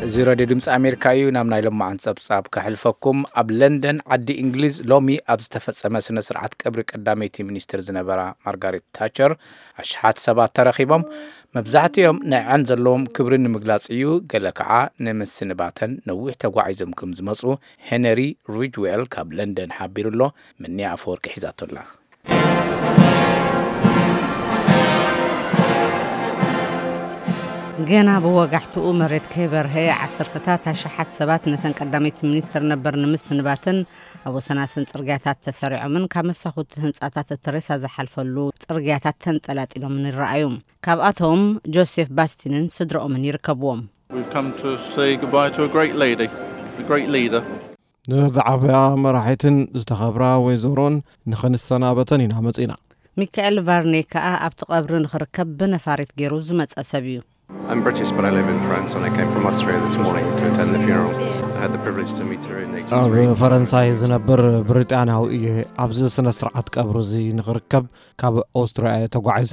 እዚ ሬድዮ ድምፂ ኣሜሪካ እዩ። ናብ ናይ ሎማዓን ጸብጻብ ከሕልፈኩም። ኣብ ለንደን ዓዲ እንግሊዝ ሎሚ ኣብ ዝተፈጸመ ስነ ስርዓት ቀብሪ ቀዳመይቲ ሚኒስትር ዝነበራ ማርጋሬት ታቸር ኣሽሓት ሰባት ተረኺቦም። መብዛሕትኦም ንዐን ዘለዎም ክብሪ ንምግላጽ እዩ። ገለ ከዓ ንምስንባተን ነዊሕ ተጓዒዞም ከም ዝመጹ ሄነሪ ሪጅዌል ካብ ለንደን ሓቢሩ ኣሎ። ምንያ ኣፈወርቂ ሒዛቶ ኣላ። ገና ብወጋሕትኡ መሬት ከይበርሀ፣ ዓሰርተታት ኣሽሓት ሰባት ነተን ቀዳመይቲ ሚኒስትር ነበር ንምስንባትን ኣብ ወሰናስን ጽርግያታት ተሰሪዖምን ካብ መሳኹቲ ህንጻታት እቲ ሬሳ ዝሓልፈሉ ጽርግያታት ተንጠላጢሎምን ይረኣዩ። ካብኣቶም ጆሴፍ ባስቲንን ስድረኦምን ይርከብዎም። We've come to say goodbye to a great lady, a great leader. ንዝዓበያ መራሒትን ዝተኸብራ ወይዘሮን ንኽንሰናበተን ኢና መጺና። ሚካኤል ቫርኔ ከኣ ኣብቲ ቀብሪ ንኽርከብ ብነፋሪት ገይሩ ዝመጸ ሰብ እዩ። I'm British, but I live in France, and I came from Austria this morning to attend the funeral. I had the privilege to meet her in ኣብ eighty-three. ፈረንሳይ ዝነብር ብሪጣንያዊ እየ። ኣብዚ ስነ ስርዓት ቀብሪ እዚ ንኽርከብ ካብ ኦስትርያ እየ ተጓዒዘ።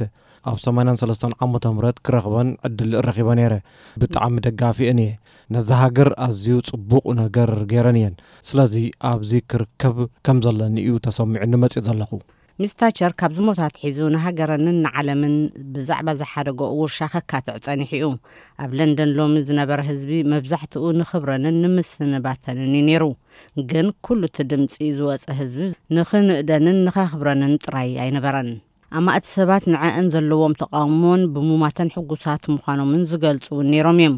ኣብ ሰማንያን ሰለስተን ዓመተ ምህረት ክረኽበን ዕድል ረኺበ ነይረ። ብጣዕሚ ደጋፊአን እየ። ነዛ ሃገር ኣዝዩ ጽቡቕ ነገር ገይረን እየን። ስለዚ ኣብዚ ክርከብ ከም ዘለኒ እዩ ተሰሚዑኒ መጺእ ዘለኹ። ሚስ ታቸር ካብ ዝሞት ኣትሒዙ ንሃገረንን ንዓለምን ብዛዕባ ዝሓደገኦ ውርሻ ከካትዕ ጸኒሑ እዩ። ኣብ ለንደን ሎሚ ዝነበረ ህዝቢ መብዛሕትኡ ንኽብረንን ንምስንባተንን እዩ ነይሩ። ግን ኩሉ እቲ ድምጺ ዝወጸ ህዝቢ ንኽንእደንን ንኸኽብረንን ጥራይ ኣይነበረን። ኣማእቲ ሰባት ንዐአን ዘለዎም ተቓውሞን ብሙማተን ሕጉሳት ምዃኖምን ዝገልጹ እውን ነይሮም እዮም።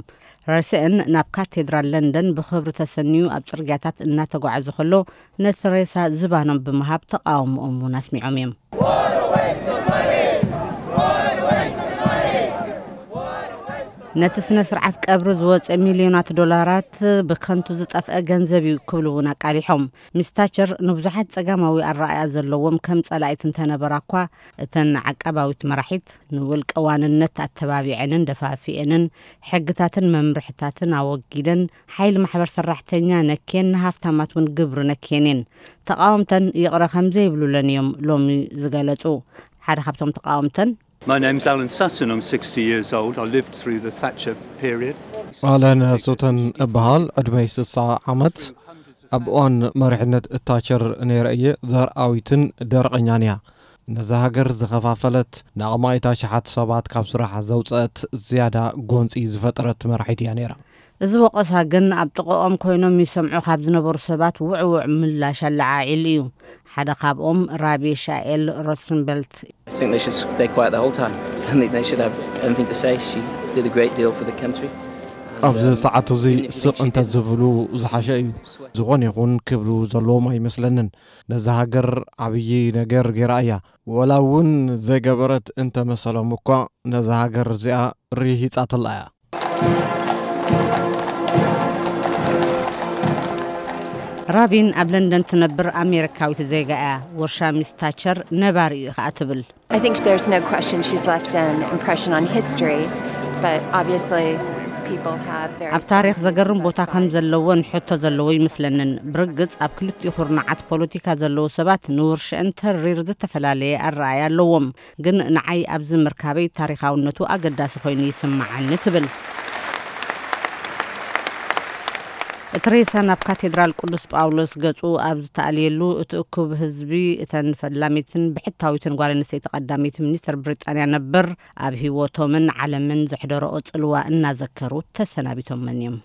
ረስአን ናብ ካቴድራል ለንደን ብኽብሪ ተሰንዩ ኣብ ጽርግያታት እናተጓዓዘ ከሎ ነቲ ሬሳ ዝባኖም ብምሃብ ተቓውሞኦም እውን ኣስሚዖም እዮም። ነቲ ስነ ስርዓት ቀብሪ ዝወፀ ሚልዮናት ዶላራት ብከንቱ ዝጠፍአ ገንዘብ እዩ ክብሉ እውን ኣቃሊሖም። ሚስ ታቸር ንብዙሓት ጸጋማዊ ኣረኣእያ ዘለዎም ከም ጸላኢት እንተነበራ እኳ፣ እተን ዓቃባዊት መራሒት ንውልቀ ዋንነት ኣተባቢዐንን ደፋፊአንን፣ ሕግታትን መምርሕታትን ኣወጊደን፣ ሓይሊ ማሕበር ሰራሕተኛ ነክየን፣ ንሃፍታማት እውን ግብሪ ነክየን እየን። ተቓወምተን ይቕረ ከም ዘይብሉለን እዮም ሎሚ ዝገለጹ። ሓደ ካብቶም ተቓወምተን፣ My name's Alan Sutton. I'm sixty years old. I lived through the Thatcher period. ኣለን ሱተን እበሃል። ዕድመይ ስሳ ዓመት። ኣብ እዋን መሪሕነት ታቸር ነይረ እየ። ዘርኣዊትን ደረቐኛን እያ። ነዛ ሃገር ዝኸፋፈለት፣ ንኣማኢት ኣሽሓት ሰባት ካብ ስራሕ ዘውፅአት፣ ዝያዳ ጎንፂ ዝፈጠረት መራሒት እያ ነይራ። እዚ ወቐሳ ግን ኣብ ጥቕኦም ኮይኖም ይሰምዑ ካብ ዝነበሩ ሰባት ውዕውዕ ምላሽ ኣለዓዒሉ እዩ። ሓደ ካብኦም ራቢ ሻኤል ሮትንበልት። I think they should stay quiet the whole time. I think they should have anything to say. She did a great deal for the country. And, ኣብዚ um, ሰዓት እዚ even if ስቕ she እንተ didn't ዝብሉ ዝሓሸ እዩ። ዝኾነ ይኹን ክብሉ ዘለዎም ኣይመስለንን። ነዛ ሃገር ዓብዪ ነገር ገይራ እያ። ወላ እውን ዘይገበረት እንተ መሰሎም እኳ ነዛ ሃገር እዚኣ ርሂጻትላ እያ። ራቢን ኣብ ለንደን ትነብር ኣሜሪካዊት ዜጋ እያ። ወርሻ ሚስ ታቸር ነባሪ እዩ ከኣ ትብል። I think there's no question she's left an impression on history, but obviously people have very ኣብ ታሪኽ ዘገርም ቦታ ከም ዘለዎን ሕቶ ዘለዎ ይመስለንን። ብርግጽ ኣብ ክልቲኡ ኩርናዓት ፖለቲካ ዘለዉ ሰባት ንውርሽአን ተሪር ዝተፈላለየ ኣረኣእያ ኣለዎም። ግን ንዓይ ኣብዚ ምርካበይ ታሪኻውነቱ ኣገዳሲ ኮይኑ ይስምዓኒ ትብል። እቲ ሬሳ ናብ ካቴድራል ቅዱስ ጳውሎስ ገጹ ኣብ ዝተኣልየሉ፣ እቲ እኩብ ህዝቢ እተን ፈላሚትን ብሕታዊትን ጓል ኣንስተይቲ ቀዳመይቲ ሚኒስተር ብሪጣንያ ነበር ኣብ ህይወቶምን ዓለምን ዘሕደረኦ ጽልዋ እናዘከሩ ተሰናቢቶመን እዮም።